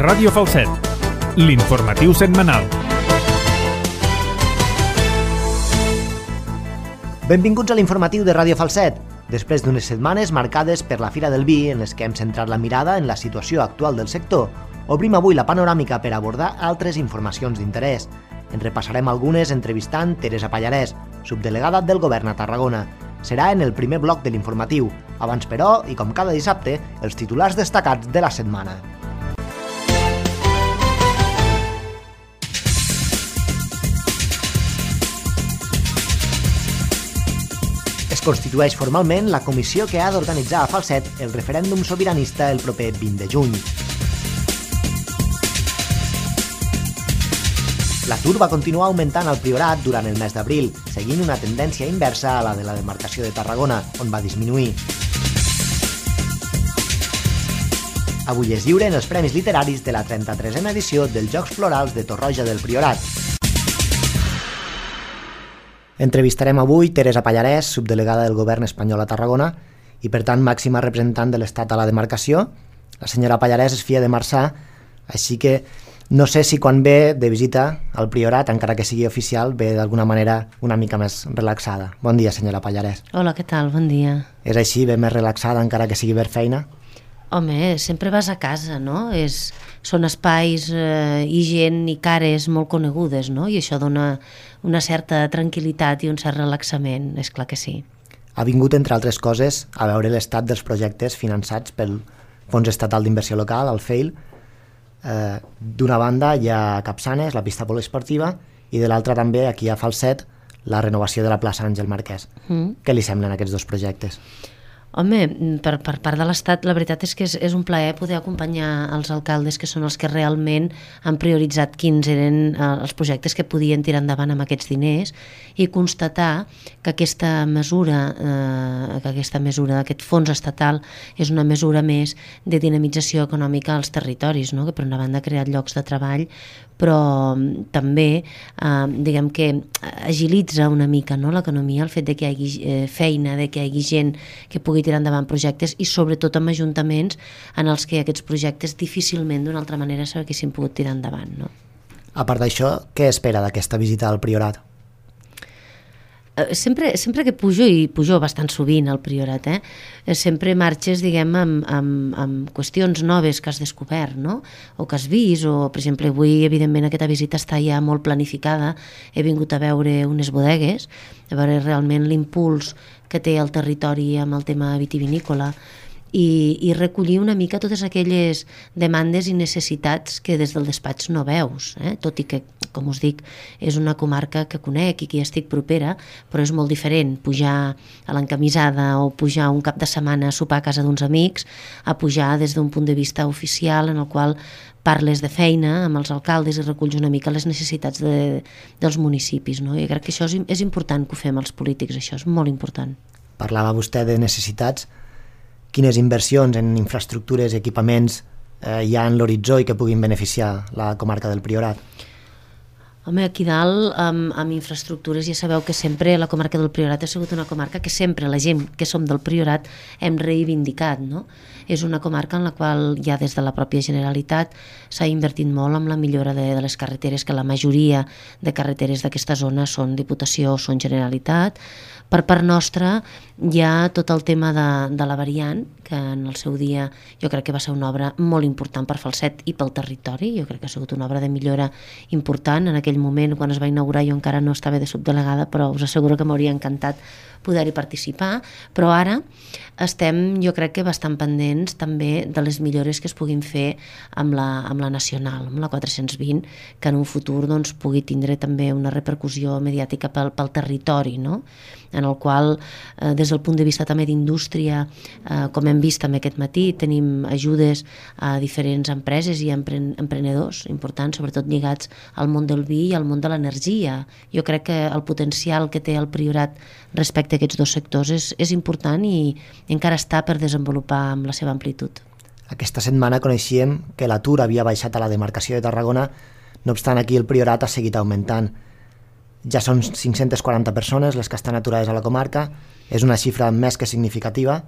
Ràdio Falset, l'informatiu setmanal. Benvinguts a l'informatiu de Ràdio Falset. Després d'unes setmanes marcades per la Fira del Vi, en les que hem centrat la mirada en la situació actual del sector, obrim avui la panoràmica per abordar altres informacions d'interès. En repassarem algunes entrevistant Teresa Pallarès, subdelegada del Govern a Tarragona. Serà en el primer bloc de l'informatiu. Abans, però, i com cada dissabte, els titulars destacats de la setmana. Es constitueix formalment la comissió que ha d'organitzar a Falset el referèndum sobiranista el proper 20 de juny. L'atur va continuar augmentant al Priorat durant el mes d'abril, seguint una tendència inversa a la de la demarcació de Tarragona, on va disminuir. Avui es lliuren els Premis Literaris de la 33a edició dels Jocs Florals de Torroja del Priorat. Entrevistarem avui Teresa Pallarès, subdelegada del Govern espanyol a Tarragona i, per tant, màxima representant de l'Estat a la demarcació. La senyora Pallarès és filla de Marçà, així que no sé si quan ve de visita al Priorat, encara que sigui oficial, ve d'alguna manera una mica més relaxada. Bon dia, senyora Pallarès. Hola, què tal? Bon dia. És així, ve més relaxada encara que sigui per feina? Home, sempre vas a casa, no? Són espais i gent i cares molt conegudes, no? I això dona una certa tranquil·litat i un cert relaxament, és clar que sí. Ha vingut, entre altres coses, a veure l'estat dels projectes finançats pel Fons Estatal d'Inversió Local, el FEIL. D'una banda hi ha Capçanes, la pista poliesportiva, i de l'altra també, aquí a Falset, la renovació de la plaça Àngel Marquès. Què li semblen aquests dos projectes? Home, per part de l'Estat, la veritat és que és un plaer poder acompanyar els alcaldes, que són els que realment han prioritzat quins eren els projectes que podien tirar endavant amb aquests diners, i constatar que aquesta mesura, aquest fons estatal, és una mesura més de dinamització econòmica als territoris, no? Que per una banda ha creat llocs de treball, però també diguem que agilitza una mica, no, l'economia, el fet de que hi hagi feina, de que hi hagi gent que pugui tirar endavant projectes, i sobretot amb ajuntaments en els que aquests projectes difícilment d'una altra manera s'haguessin pogut tirar endavant, no? A part d'això, què espera d'aquesta visita al Priorat? Sempre que pujo, i pujo bastant sovint al Priorat, sempre marxes, diguem, amb qüestions noves que has descobert, no? O que has vist, o, per exemple, avui, evidentment, aquesta visita està ja molt planificada. He vingut a veure unes bodegues, a veure realment l'impuls que té el territori amb el tema vitivinícola, i recollir una mica totes aquelles demandes i necessitats que des del despatx no veus, tot i que, com us dic, és una comarca que conec i que hi estic propera, però és molt diferent pujar a l'encamisada o pujar un cap de setmana a sopar a casa d'uns amics, a pujar des d'un punt de vista oficial en el qual parles de feina amb els alcaldes i reculls una mica les necessitats dels municipis, no? I crec que això és important que ho fem els polítics, això és molt important. Parlava vostè de necessitats. Quines inversions en infraestructures i equipaments hi ha en l'horitzó i que puguin beneficiar la comarca del Priorat? Home, aquí dalt, amb infraestructures, ja sabeu que sempre la comarca del Priorat ha sigut una comarca que sempre la gent que som del Priorat hem reivindicat, no? És una comarca en la qual ja des de la pròpia Generalitat s'ha invertit molt en la millora de les carreteres, que la majoria de carreteres d'aquesta zona són Diputació o són Generalitat. Per part nostra hi ha tot el tema de la variant, que en el seu dia jo crec que va ser una obra molt important per Falset i pel territori. Jo crec que ha sigut una obra de millora important. En aquell moment, quan es va inaugurar, jo encara no estava de subdelegada, però us asseguro que m'hauria encantat poder-hi participar. Però ara estem, jo crec que bastant pendents també de les millores que es puguin fer amb la nacional, amb la 420, que en un futur doncs, pugui tindre també una repercussió mediàtica pel territori, no? En el qual, des del punt de vista també d'indústria, com hem vist també aquest matí, tenim ajudes a diferents empreses i emprenedors importants, sobretot lligats al món del vi i al món de l'energia. Jo crec que el potencial que té el Priorat respecte a aquests dos sectors és important i encara està per desenvolupar amb la seva amplitud. Aquesta setmana coneixíem que l'atur havia baixat a la demarcació de Tarragona, no obstant aquí el Priorat ha seguit augmentant. Ja són 540 persones les que estan aturades a la comarca, és una xifra més que significativa.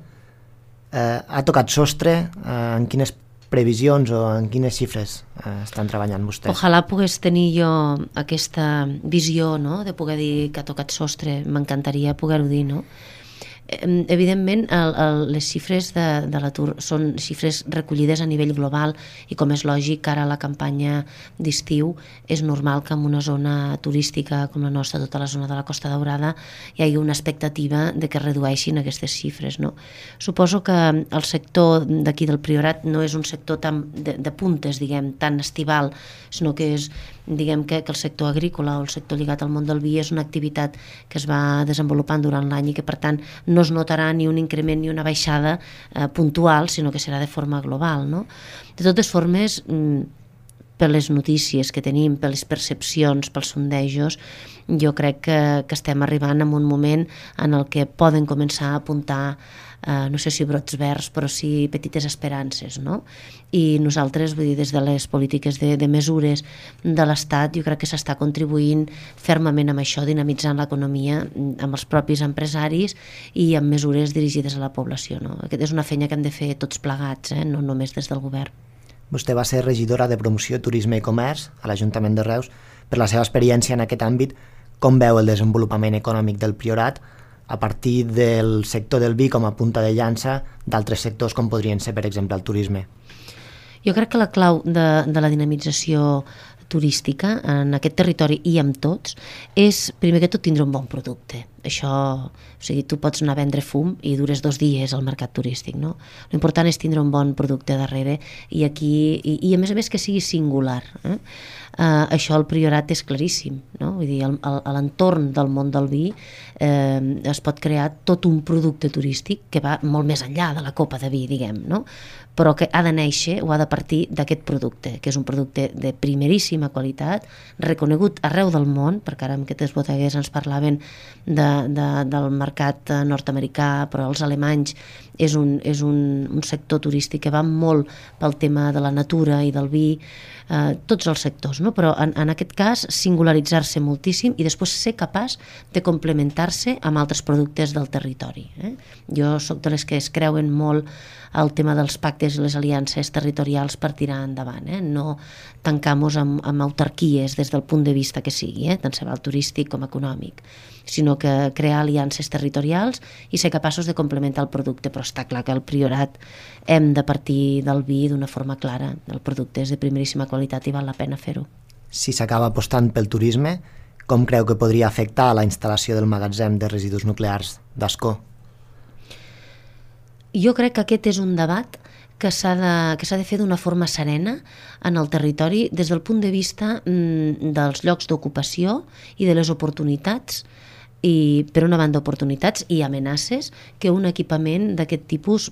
Ha tocat sostre? En quines previsions o en quines xifres estan treballant vostès? Ojalà pogués tenir jo aquesta visió, no?, de poder dir que ha tocat sostre, m'encantaria poder-ho dir, no? Evidentment les xifres de l'atur són xifres recollides a nivell global i, com és lògic, ara a la campanya d'estiu és normal que en una zona turística com la nostra, tota la zona de la Costa Daurada, hi hagi una expectativa de que redueixin aquestes xifres, no? Suposo que el sector d'aquí del Priorat no és un sector tan de puntes, diguem, tan estival, sinó que és, diguem, que el sector agrícola o el sector lligat al món del vi és una activitat que es va desenvolupant durant l'any i que, per tant, no es notarà ni un increment ni una baixada puntual, sinó que serà de forma global, no? De totes formes, per les notícies que tenim, per les percepcions, pels sondejos, jo crec que estem arribant en un moment en el que poden començar a apuntar, no sé si brots verds, però sí petites esperances, no? I nosaltres, vull dir, des de les polítiques de mesures de l'Estat, jo crec que s'està contribuint fermament amb això, dinamitzant l'economia amb els propis empresaris i amb mesures dirigides a la població, no? Aquesta és una feina que hem de fer tots plegats, no només des del govern. Vostè va ser regidora de Promoció, Turisme i Comerç a l'Ajuntament de Reus. Per la seva experiència en aquest àmbit, com veu el desenvolupament econòmic del Priorat a partir del sector del vi com a punta de llança d'altres sectors com podrien ser, per exemple, el turisme? Jo crec que la clau de la dinamització turística en aquest territori i amb tots és, primer que tot, tindre un bon producte. Això, o sigui, tu pots anar a vendre fum i dures 2 dies al mercat turístic, no? L'important és tindre un bon producte darrere i aquí, i a més que sigui singular. Això al Priorat és claríssim, no? Vull dir, a l'entorn del món del vi es pot crear tot un producte turístic que va molt més enllà de la copa de vi, diguem, no? Però que ha de néixer o ha de partir d'aquest producte, que és un producte de primeríssima qualitat, reconegut arreu del món, perquè ara amb aquestes bodegues ens parlaven del mercat nord-americà, però els alemanys és un sector turístic que va molt pel tema de la natura i del vi, tots els sectors, no? Però en aquest cas singularitzar-se moltíssim i després ser capaç de complementar-se amb altres productes del territori. Jo sóc de les que es creuen molt el tema dels pactes i les aliances territorials per tirar endavant, no tancar-nos amb autarquies des del punt de vista que sigui, tant se val turístic com econòmic, sinó que crear aliances territorials i ser capaços de complementar el producte. Però està clar que al Priorat hem de partir del vi d'una forma clara. El producte és de primeríssima qualitat i val la pena fer-ho. Si s'acaba apostant pel turisme, com creu que podria afectar a la instal·lació del magatzem de residus nuclears d'Ascó? Jo crec que aquest és un debat que s'ha de fer d'una forma serena en el territori des del punt de vista dels llocs d'ocupació i de les oportunitats, i per una banda oportunitats i amenaces que un equipament d'aquest tipus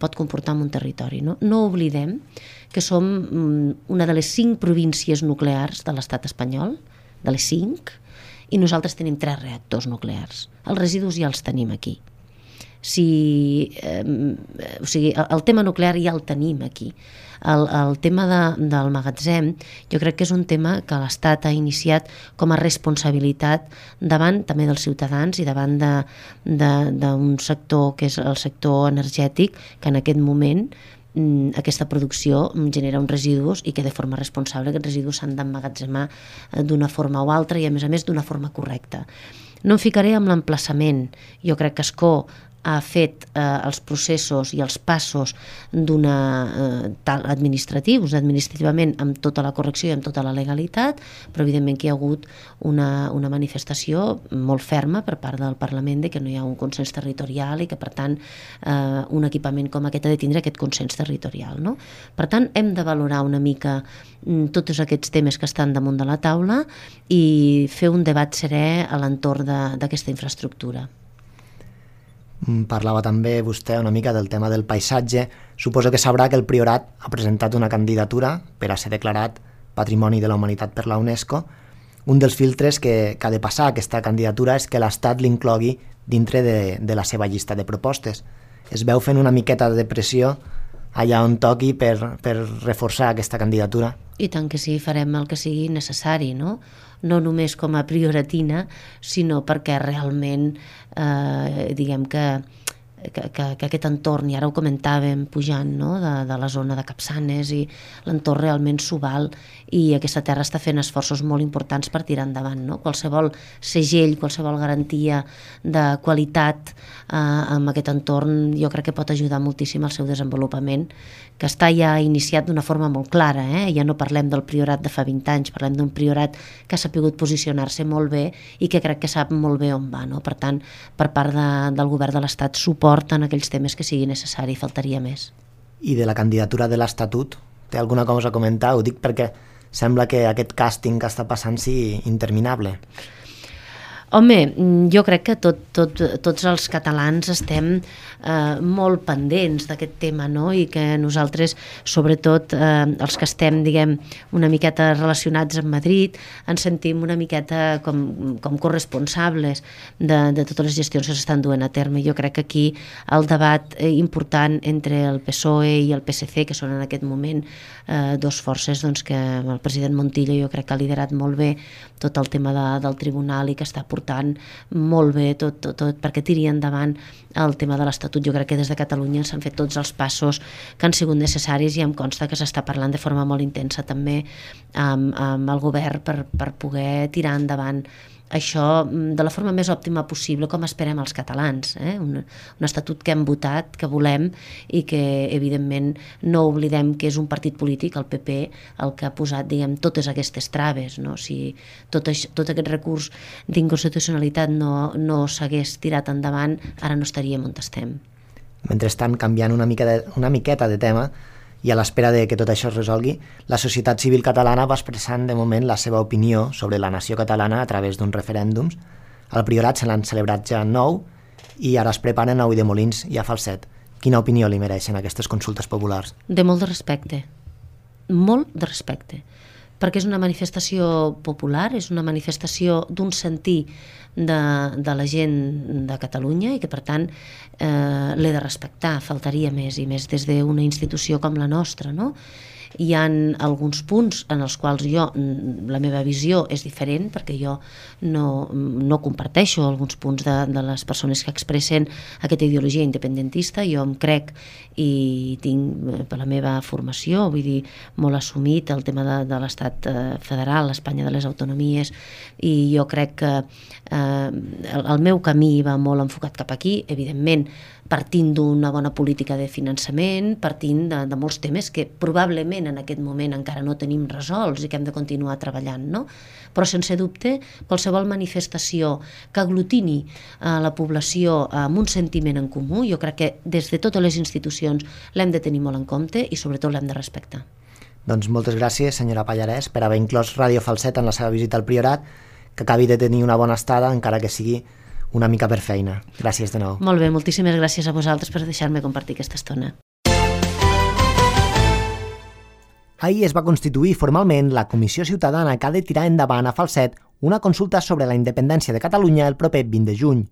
pot comportar en un territori. No oblidem que som una de les 5 províncies nuclears de l'estat espanyol, de les 5, i nosaltres tenim 3 reactors nuclears. Els residus ja els tenim aquí. O sigui, el tema nuclear ja el tenim aquí. El tema del magatzem jo crec que és un tema que l'Estat ha iniciat com a responsabilitat davant també dels ciutadans i davant d'un sector que és el sector energètic, que en aquest moment aquesta producció genera uns residus i que de forma responsable aquests residus s'han d'emmagatzemar d'una forma o altra i a més d'una forma correcta. No em ficaré amb l'emplaçament. Jo crec que Ascó ha fet els processos i els passos administrativament amb tota la correcció i amb tota la legalitat, però evidentment que hi ha hagut una manifestació molt ferma per part del Parlament de que no hi ha un consens territorial i que, per tant, un equipament com aquest ha de tindre aquest consens territorial, no? Per tant, hem de valorar una mica tots aquests temes que estan damunt de la taula i fer un debat serè a l'entorn d'aquesta infraestructura. Parlava també vostè una mica del tema del paisatge. Suposo que sabrà que el Priorat ha presentat una candidatura per a ser declarat Patrimoni de la Humanitat per la UNESCO. Un dels filtres que ha de passar aquesta candidatura és que l'Estat l'inclogui dintre de la seva llista de propostes. Es veu fent una miqueta de pressió allà on toqui per reforçar aquesta candidatura? I tant que sí, farem el que sigui necessari, no? No només com a prioratina, sinó perquè realment diguem que que aquest entorn, i ara ho comentàvem pujant, no? de la zona de Capçanes, i l'entorn realment s'ho val, i aquesta terra està fent esforços molt importants per tirar endavant, no? Qualsevol segell, qualsevol garantia de qualitat amb aquest entorn jo crec que pot ajudar moltíssim al seu desenvolupament, que està ja iniciat d'una forma molt clara, ja no parlem del Priorat de fa 20 anys, parlem d'un Priorat que ha sapigut posicionar-se molt bé i que crec que sap molt bé on va, no? Per tant, per part del govern de l'Estat, suport en aquells temes que sigui necessari, faltaria més. I de la candidatura de l'Estatut, té alguna cosa a comentar? Ho dic perquè sembla que aquest càsting que està passant sigui interminable. Home, jo crec que tots els catalans estem molt pendents d'aquest tema, no? I que nosaltres, sobretot els que estem, diguem, una miqueta relacionats amb Madrid, ens sentim una miqueta com corresponsables de totes les gestions que s'estan duent a terme. Jo crec que aquí el debat important entre el PSOE i el PSC, que són en aquest moment dos forces doncs, que el president Montilla jo crec que ha liderat molt bé tot el tema del tribunal i que està portant molt bé tot perquè tiri endavant el tema de l'Estatut. Jo crec que des de Catalunya s'han fet tots els passos que han sigut necessaris i em consta que s'està parlant de forma molt intensa també amb el govern per poder tirar endavant això de la forma més òptima possible, com esperem els catalans. Un estatut que hem votat, que volem, i que evidentment no oblidem que és un partit polític, el PP, el que ha posat, diguem, totes aquestes traves, no? Si tot aquest recurs d'inconstitucionalitat no s'hagués tirat endavant, ara no estaríem on estem. Mentrestant, canviant una miqueta de tema, i a l'espera de que tot això es resolgui, la societat civil catalana va expressant de moment la seva opinió sobre la nació catalana a través d'uns referèndums. Al Priorat se n'han celebrat ja 9 i ara es preparen a Ulldemolins i a Falset. Quina opinió li mereixen aquestes consultes populars? De molt de respecte, molt de respecte, perquè és una manifestació popular, és una manifestació d'un sentir de la gent de Catalunya i que per tant l'he de respectar, faltaria més, i més des d'una institució com la nostra, no? Hi ha alguns punts en els quals la meva visió és diferent, perquè jo no comparteixo alguns punts de les persones que expressen aquesta ideologia independentista. Jo em crec i tinc per la meva formació, vull dir, molt assumit el tema de l'estat federal, l'Espanya de les autonomies, i jo crec que el meu camí va molt enfocat cap aquí, evidentment partint d'una bona política de finançament, partint de molts temes que probablement en aquest moment encara no tenim resolts i que hem de continuar treballant, no? Però sense dubte, qualsevol manifestació que aglutini la població amb un sentiment en comú, jo crec que des de totes les institucions l'hem de tenir molt en compte i sobretot l'hem de respectar. Doncs moltes gràcies, senyora Pallarès, per haver inclòs Ràdio Falset en la seva visita al Priorat, que acabi de tenir una bona estada, encara que sigui una mica per feina. Gràcies de nou. Molt bé, moltíssimes gràcies a vosaltres per deixar-me compartir aquesta estona. Ahir es va constituir formalment la Comissió Ciutadana que ha de tirar endavant a Falset una consulta sobre la independència de Catalunya el proper 20 de juny.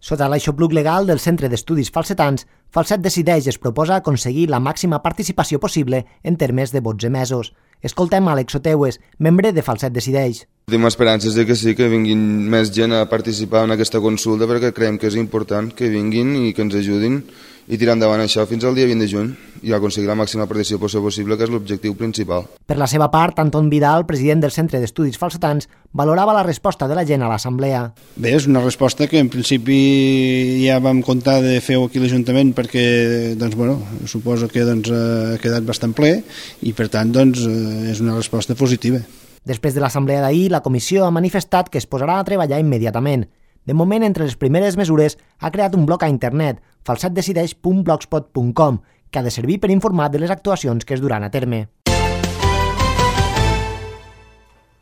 Sota l'aixopluc legal del Centre d'Estudis Falsetans, Falset Decideix es proposa aconseguir la màxima participació possible en termes de vots emesos. Escoltem Àlex Oteues, membre de Falset Decideix. Tenim esperances de que sí, que vinguin més gent a participar en aquesta consulta, perquè creiem que és important que vinguin i que ens ajudin i tirar endavant això fins al dia 20 de juny i aconseguir la màxima participació possible, que és l'objectiu principal. Per la seva part, Anton Vidal, president del Centre d'Estudis Falsetans, valorava la resposta de la gent a l'assemblea. Bé, és una resposta que en principi ja vam comptar de fer-ho aquí a l'Ajuntament perquè, doncs, bueno, suposo que ha quedat bastant ple i per tant doncs, és una resposta positiva. Després de l'assemblea d'ahir, la comissió ha manifestat que es posarà a treballar immediatament. De moment, entre les primeres mesures, ha creat un blog a internet, falsetdecideix.blogspot.com, que ha de servir per informar de les actuacions que es duran a terme.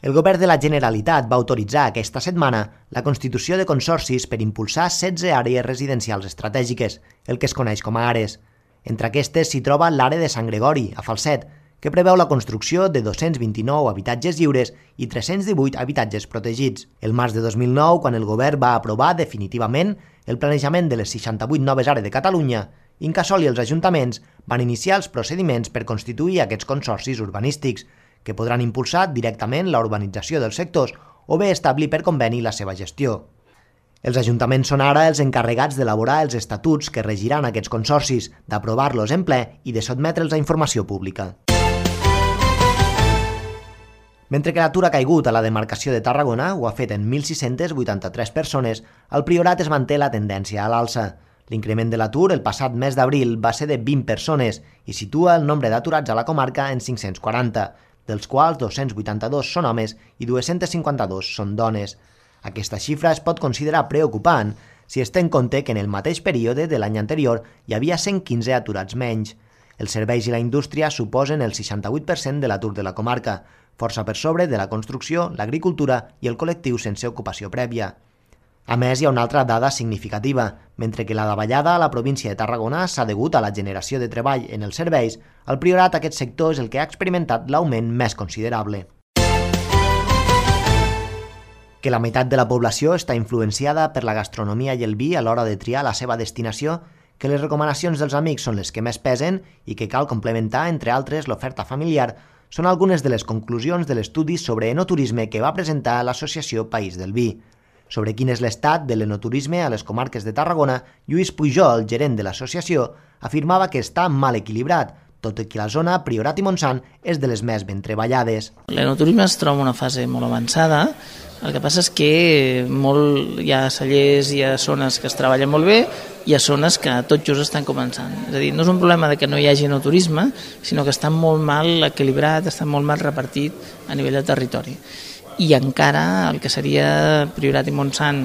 El govern de la Generalitat va autoritzar aquesta setmana la constitució de consorcis per impulsar 16 àrees residencials estratègiques, el que es coneix com a ARES. Entre aquestes s'hi troba l'àrea de Sant Gregori, a Falset, que preveu la construcció de 229 habitatges lliures i 318 habitatges protegits. El març de 2009, quan el govern va aprovar definitivament el planejament de les 68 noves àrees de Catalunya, Incasòl i els ajuntaments van iniciar els procediments per constituir aquests consorcis urbanístics, que podran impulsar directament la urbanització dels sectors o bé establir per conveni la seva gestió. Els ajuntaments són ara els encarregats d'elaborar els estatuts que regiran aquests consorcis, d'aprovar-los en ple i de sotmetre'ls a informació pública. Mentre que l'atur ha caigut a la demarcació de Tarragona, ho ha fet en 1.683 persones, al Priorat es manté la tendència a l'alça. L'increment de l'atur el passat mes d'abril va ser de 20 persones i situa el nombre d'aturats a la comarca en 540, dels quals 282 són homes i 252 són dones. Aquesta xifra es pot considerar preocupant si es té en compte que en el mateix període de l'any anterior hi havia 115 aturats menys. Els serveis i la indústria suposen el 68% de l'atur de la comarca, força per sobre de la construcció, l'agricultura i el col·lectiu sense ocupació prèvia. A més, hi ha una altra dada significativa. Mentre que la davallada a la província de Tarragona s'ha degut a la generació de treball en els serveis, al Priorat aquest sector és el que ha experimentat l'augment més considerable. Que la meitat de la població està influenciada per la gastronomia i el vi a l'hora de triar la seva destinació, que les recomanacions dels amics són les que més pesen i que cal complementar, entre altres, l'oferta familiar, són algunes de les conclusions de l'estudi sobre enoturisme que va presentar l'Associació País del Vi. Sobre quin és l'estat de l'enoturisme a les comarques de Tarragona, Lluís Pujol, gerent de l'associació, afirmava que està mal equilibrat, tot i que la zona Priorat i Montsant és de les més ben treballades. L'enoturisme es troba en una fase molt avançada, el que passa és que hi ha cellers, hi ha zones que es treballen molt bé, hi ha zones que tot just estan començant. És a dir, no és un problema de que no hi hagi enoturisme, sinó que està molt mal equilibrat, està molt mal repartit a nivell de territori. I encara el que seria Priorat i Montsant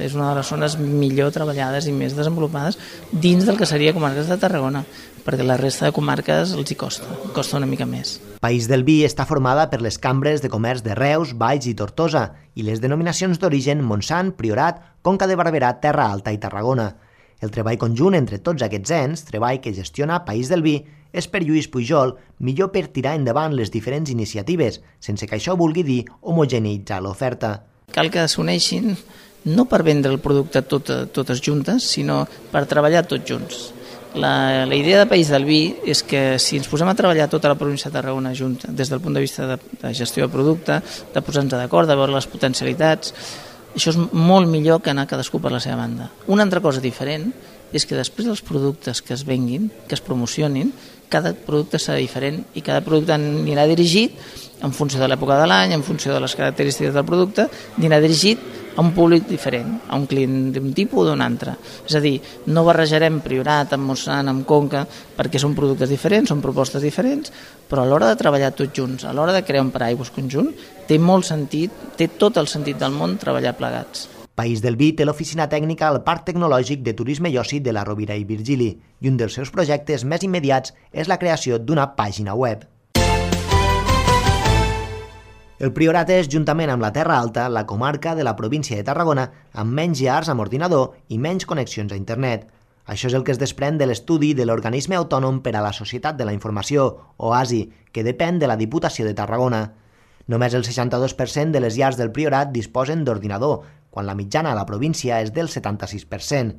és una de les zones millor treballades i més desenvolupades dins del que seria comarques de Tarragona, perquè la resta de comarques els hi costa una mica més. País del Vi està formada per les cambres de comerç de Reus, Valls i Tortosa i les denominacions d'origen Montsant, Priorat, Conca de Barberà, Terra Alta i Tarragona. El treball conjunt entre tots aquests ens, treball que gestiona País del Vi, és per Lluís Pujol millor per tirar endavant les diferents iniciatives, sense que això vulgui dir homogeneïtzar l'oferta. Cal que s'uneixin no per vendre el producte totes juntes, sinó per treballar tots junts. La idea de País del Vi és que si ens posem a treballar tota la província de Tarragona junta, des del punt de vista de gestió de producte, de posar-nos d'acord, de veure les potencialitats, això és molt millor que anar cadascú per la seva banda. Una altra cosa diferent és que després dels productes que es venguin, que es promocionin, cada producte serà diferent i cada producte anirà dirigit en funció de l'època de l'any, en funció de les característiques del producte, anirà dirigit a un públic diferent, a un client d'un tipus o d'un altre. És a dir, no barrejarem Priorat amb Montsant, amb Conca, perquè són productes diferents, són propostes diferents, però a l'hora de treballar tots junts, a l'hora de crear un paraigües conjunt, té molt sentit, té tot el sentit del món treballar plegats. País del Vi té l'oficina tècnica al Parc Tecnològic de Turisme i Oci de la Rovira i Virgili i un dels seus projectes més immediats és la creació d'una pàgina web. El Priorat és, juntament amb la Terra Alta, la comarca de la província de Tarragona amb menys llars amb ordinador i menys connexions a internet. Això és el que es desprèn de l'estudi de l'Organisme Autònom per a la Societat de la Informació, OASI, que depèn de la Diputació de Tarragona. Només el 62% de les llars del Priorat disposen d'ordinador, quan la mitjana a la província és del 76%.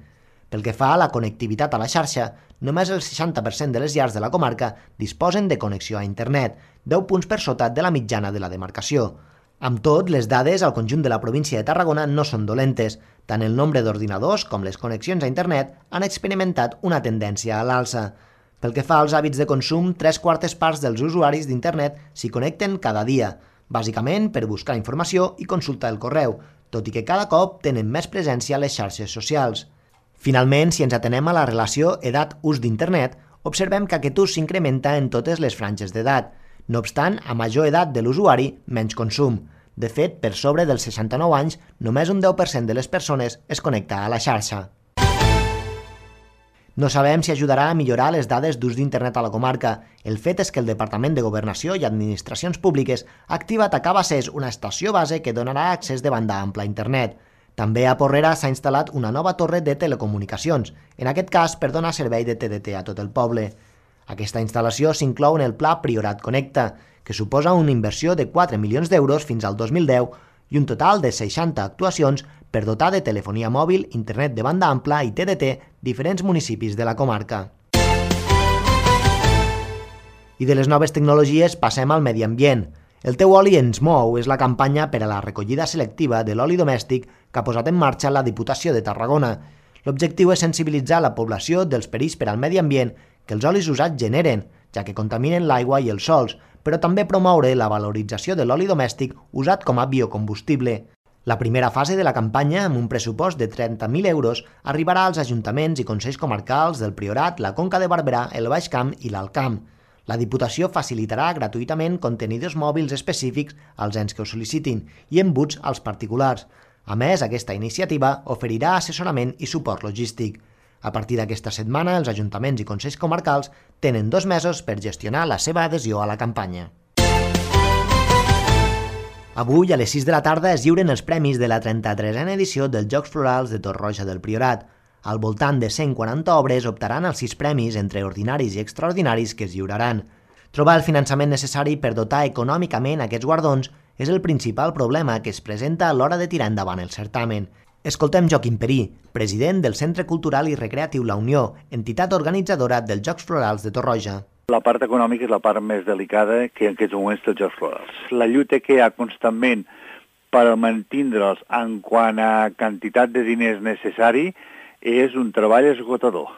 Pel que fa a la connectivitat a la xarxa, només el 60% de les llars de la comarca disposen de connexió a internet, 10 punts per sota de la mitjana de la demarcació. Amb tot, les dades al conjunt de la província de Tarragona no són dolentes. Tant el nombre d'ordinadors com les connexions a internet han experimentat una tendència a l'alça. Pel que fa als hàbits de consum, 3/4 parts dels usuaris d'internet s'hi connecten cada dia, bàsicament per buscar informació i consultar el correu, tot i que cada cop tenen més presència a les xarxes socials. Finalment, si ens atenem a la relació edat-ús d'internet, observem que aquest ús s'incrementa en totes les franges d'edat. No obstant, a major edat de l'usuari, menys consum. De fet, per sobre dels 69 anys, només un 10% de les persones es connecta a la xarxa. No sabem si ajudarà a millorar les dades d'ús d'internet a la comarca. El fet és que el Departament de Governació i Administracions Públiques ha activat a Cabassers una estació base que donarà accés de banda ampla a internet. També a Porrera s'ha instal·lat una nova torre de telecomunicacions, en aquest cas per donar servei de TDT a tot el poble. Aquesta instal·lació s'inclou en el Pla Priorat Connecta, que suposa una inversió de 4 milions d'euros fins al 2010 i un total de 60 actuacions per dotar de telefonia mòbil, internet de banda ampla i TDT diferents municipis de la comarca. I de les noves tecnologies passem al medi ambient. El teu oli ens mou és la campanya per a la recollida selectiva de l'oli domèstic que ha posat en marxa la Diputació de Tarragona. L'objectiu és sensibilitzar la població dels perills per al medi ambient que els olis usats generen, ja que contaminen l'aigua i els sòls, però també promoure la valorització de l'oli domèstic usat com a biocombustible. La primera fase de la campanya, amb un pressupost de 30.000 euros, arribarà als ajuntaments i consells comarcals del Priorat, la Conca de Barberà, el Baix Camp i l'Alt Camp. La Diputació facilitarà gratuïtament contenidors mòbils específics als ens que ho sol·licitin i embuts als particulars. A més, aquesta iniciativa oferirà assessorament i suport logístic. A partir d'aquesta setmana, els ajuntaments i consells comarcals tenen 2 mesos per gestionar la seva adhesió a la campanya. Avui, a les 6 de la tarda, es lliuren els premis de la 33a edició dels Jocs Florals de Torroja del Priorat. Al voltant de 140 obres optaran als 6 premis entre ordinaris i extraordinaris que es lliuraran. Trobar el finançament necessari per dotar econòmicament aquests guardons és el principal problema que es presenta a l'hora de tirar endavant el certamen. Escoltem Joaquim Perí, president del Centre Cultural i Recreatiu La Unió, entitat organitzadora dels Jocs Florals de Torroja. La part econòmica és la part més delicada que en aquests moments dels Jocs Florals. La lluita que hi ha constantment per mantindre'ls en quant a quantitat de diners necessari és un treball esgotador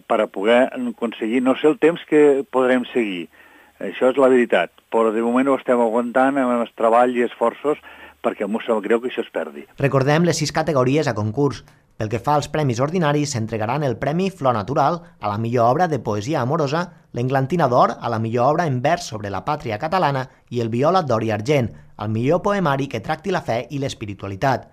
per a poder aconseguir, no sé el temps que podrem seguir, això és la veritat, però de moment ho estem aguantant amb el treball i esforços perquè m'ho sap greu que això es perdi. Recordem les 6 categories a concurs. Pel que fa als premis ordinaris, s'entregaran el Premi Flor Natural a la millor obra de poesia amorosa, l'Englantina d'Or a la millor obra en vers sobre la pàtria catalana i el Viola d'Or i Argent, al millor poemari que tracti la fe i l'espiritualitat.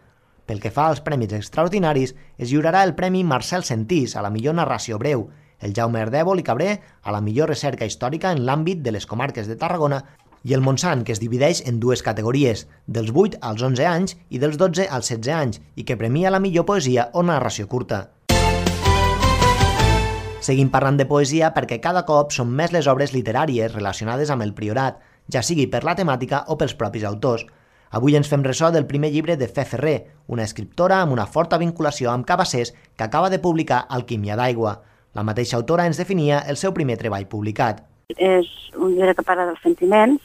Pel que fa als premis extraordinaris, es lliurarà el Premi Marcel Sentís a la millor narració breu, el Jaume Ardèvol i Cabré a la millor recerca històrica en l'àmbit de les comarques de Tarragona i el Montsant, que es divideix en 2 categories, dels 8 als 11 anys i dels 12 als 16 anys, i que premia la millor poesia o narració curta. Seguim parlant de poesia perquè cada cop són més les obres literàries relacionades amb el Priorat, ja sigui per la temàtica o pels propis autors. Avui ens fem ressò del primer llibre de Fe Ferrer, una escriptora amb una forta vinculació amb Cabassers que acaba de publicar Alquímia d'aigua. La mateixa autora ens definia el seu primer treball publicat. És un llibre que parla dels sentiments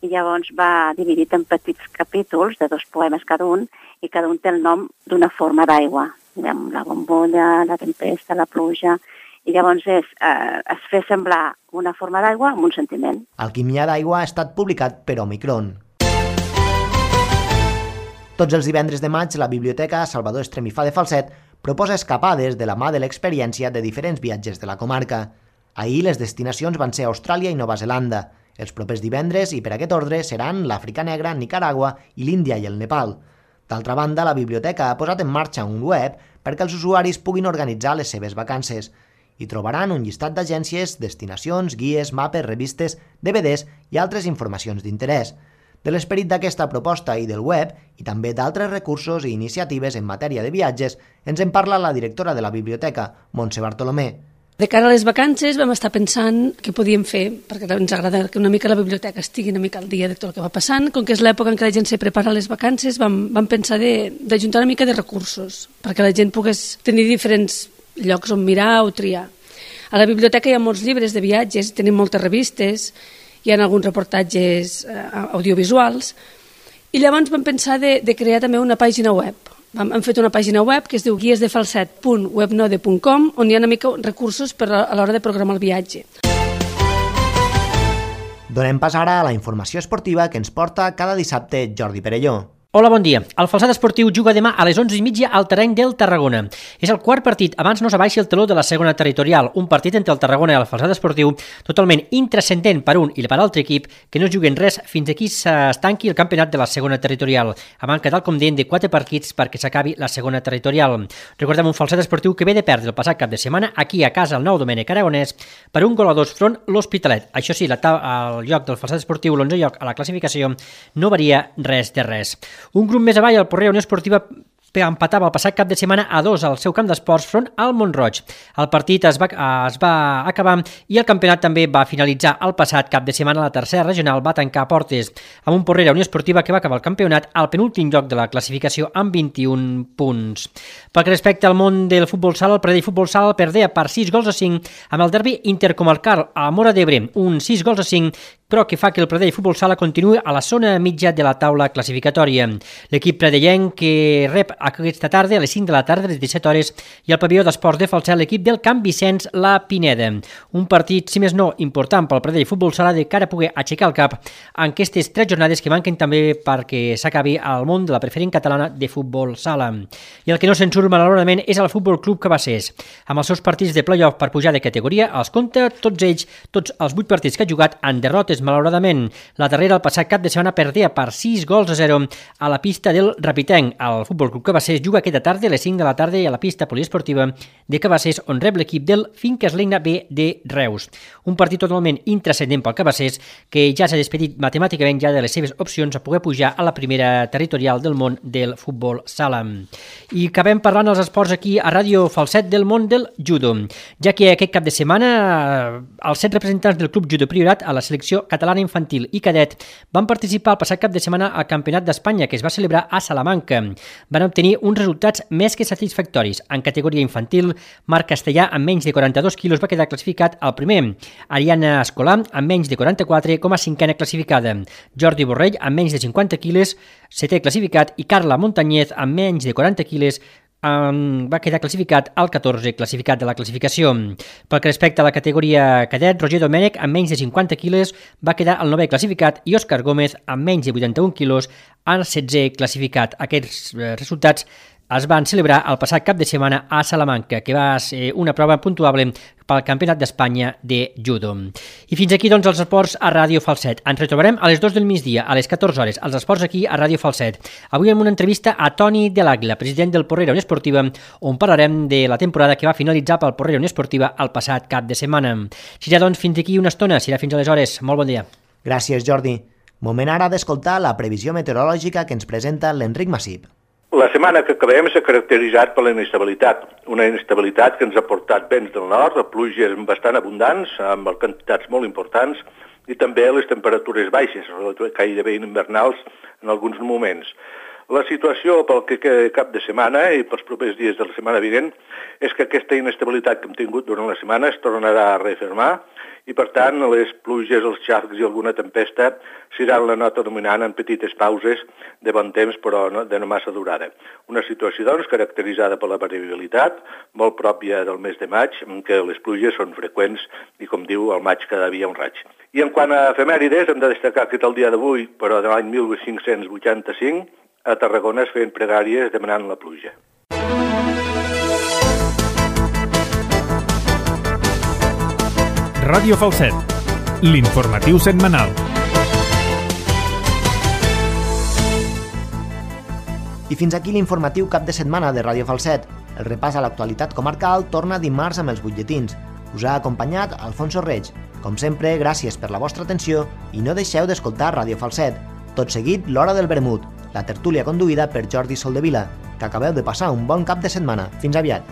i llavors va dividit en petits capítols de 2 poemes cada un i cada un té el nom d'una forma d'aigua. La bombolla, la tempesta, la pluja. I llavors es fer semblar una forma d'aigua amb un sentiment. Alquímia d'aigua ha estat publicat per Omicron. Tots els divendres de maig, la Biblioteca Salvador Estremifà de Falset proposa escapades de la mà de l'experiència de diferents viatges de la comarca. Ahir les destinacions van ser Austràlia i Nova Zelanda. Els propers divendres, i per aquest ordre, seran l'Àfrica Negra, Nicaragua i l'Índia i el Nepal. D'altra banda, la biblioteca ha posat en marxa un web perquè els usuaris puguin organitzar les seves vacances. Hi trobaran un llistat d'agències, destinacions, guies, mapes, revistes, DVDs i altres informacions d'interès. De l'esperit d'aquesta proposta i del web, i també d'altres recursos i iniciatives en matèria de viatges, ens en parla la directora de la biblioteca, Montse Bartolomé. De cara a les vacances vam estar pensant què podíem fer, perquè ens agrada que una mica la biblioteca estigui una mica al dia de tot el que va passant. Com que és l'època en què la gent se prepara a les vacances, vam pensar d'ajuntar una mica de recursos, perquè la gent pogués tenir diferents llocs on mirar o triar. A la biblioteca hi ha molts llibres de viatges, tenim moltes revistes, hi ha alguns reportatges audiovisuals, i llavors vam pensar de crear també una pàgina web. Hem fet una pàgina web que es diu guiesdefalset.webnode.com, on hi ha una mica recursos a l'hora de programar el viatge. Donem pas ara a la informació esportiva que ens porta cada dissabte Jordi Perelló. Hola, bon dia. El Falset Esportiu juga demà a les 11:30 al terreny del Tarragona. És el quart partit abans no s'abaixi el teló de la segona territorial, un partit entre el Tarragona i el Falset Esportiu totalment intrascendent per un i per l'altre equip, que no juguen res fins aquí s'estanqui el campionat de la segona territorial, a manca, tal com deien, de 4 partits perquè s'acabi la segona territorial. Recordem un Falset Esportiu que ve de perdre el passat cap de setmana aquí a casa al Nou Domènec Aragonès per 1-2 front l'Hospitalet. Això sí, el lloc del Falset Esportiu, l'11è lloc a la classificació, no varia res de res. Un grup més avall, el Porrea Unió Esportiva, empatava el passat cap de setmana a 2 al seu camp d'esports front al Mont-roig. El partit es va acabar i el campionat també va finalitzar el passat cap de setmana. La tercera regional va tancar portes amb un Porrera Unió Esportiva que va acabar el campionat al penúltim lloc de la classificació amb 21 punts. Pel que respecta al món del futbol sala, el Pradell Futbol Sala perdea per 6-5 amb el derbi intercomarcal a Móra d'Ebre, un 6-5 però que fa que el Pradell Futbol Sala continuï a la zona mitja de la taula classificatòria. L'equip pradellenc que rep aquesta tarda a les 5 de la tarda, a les 17 hores, i al pavelló d'esports de Falset l'equip del Camp Vicenç La Pineda. Un partit, si més no, important pel Pradell Futbol Sala de cara a poder aixecar el cap en aquestes 3 jornades que manquen també perquè s'acabi al món de la preferent catalana de futbol sala. I el que no se'n surt malauradament és el Futbol Club Cabassers. Amb els seus partits de play-off per pujar de categoria, els compta tots els 8 partits que ha jugat en derrotes, malauradament. La darrera, el passat cap de setmana, perdia per 6-0 a la pista del Rapitenc. El Futbol Club Cabassers juga aquesta tarda a les 5 de la tarda a la pista poliesportiva de Cabassers, on rep l'equip del Finques Legna B de Reus. Un partit totalment intrascendent pel Cabassers, que ja s'ha despedit matemàticament ja de les seves opcions a poder pujar a la primera territorial del món del futbol sala. I acabem parlant als esports aquí a Ràdio Falset del món del judo, ja que aquest cap de setmana els 7 representants del Club Judo Priorat a la selecció catalana infantil i cadet van participar el passat cap de setmana al Campionat d'Espanya, que es va celebrar a Salamanca. Van obtenir uns resultats més que satisfactoris. En categoria infantil, Marc Castellà, amb menys de 42 quilos, va quedar classificat al primer. Ariana Escolà, amb menys de 44, com a cinquena classificada. Jordi Borrell, amb menys de 50 quilos, setè classificat, i Carla Montañez, amb menys de 40 quilos, va quedar classificat al 14 classificat de la classificació. Pel que respecta a la categoria cadet, Roger Domènech, amb menys de 50 quilos, va quedar al 9è classificat i Òscar Gómez, amb menys de 81 quilos, al 16è classificat. Aquests resultats es van celebrar el passat cap de setmana a Salamanca, que va ser una prova puntuable pel Campionat d'Espanya de judo. I fins aquí, doncs, els esports a Ràdio Falset. Ens retrobarem a les 2 del migdia, a les 14 hores, els esports aquí a Ràdio Falset. Avui amb una entrevista a Toni de l'Àguila, president del Porrera Unió Esportiva, on parlarem de la temporada que va finalitzar pel Porrera Unió Esportiva el passat cap de setmana. Serà, doncs, fins aquí una estona, serà fins aleshores. Molt bon dia. Gràcies, Jordi. Moment ara d'escoltar la previsió meteorològica que ens presenta l'Enric Massip. La setmana que acabem s'ha caracteritzat per la inestabilitat, una inestabilitat que ens ha portat vents del nord, pluges bastant abundants, amb quantitats molt importants, i també les temperatures baixes, gairebé invernals en alguns moments. La situació pel que queda cap de setmana i pels propers dies de la setmana vinent és que aquesta inestabilitat que hem tingut durant la setmana es tornarà a refermar i, per tant, les pluges, els xarcs i alguna tempesta seran la nota dominant en petites pauses de bon temps, però de no massa durada. Una situació, doncs, caracteritzada per la variabilitat, molt pròpia del mes de maig, en què les pluges són freqüents i, com diu, al maig cada dia un raig. I en quant a efemèrides, hem de destacar que el dia d'avui, però de l'any 1585, a Tarragona es feien pregàries demanant la pluja. Ràdio Falset, l'informatiu setmanal. I fins aquí l'informatiu cap de setmana de Ràdio Falset. El repàs a l'actualitat comarcal torna dimarts amb els butlletins. Us ha acompanyat Alfonso Reig. Com sempre, gràcies per la vostra atenció i no deixeu d'escoltar Ràdio Falset. Tot seguit, l'Hora del Vermut, la tertúlia conduïda per Jordi Soldevila. Que acabeu de passar un bon cap de setmana. Fins aviat.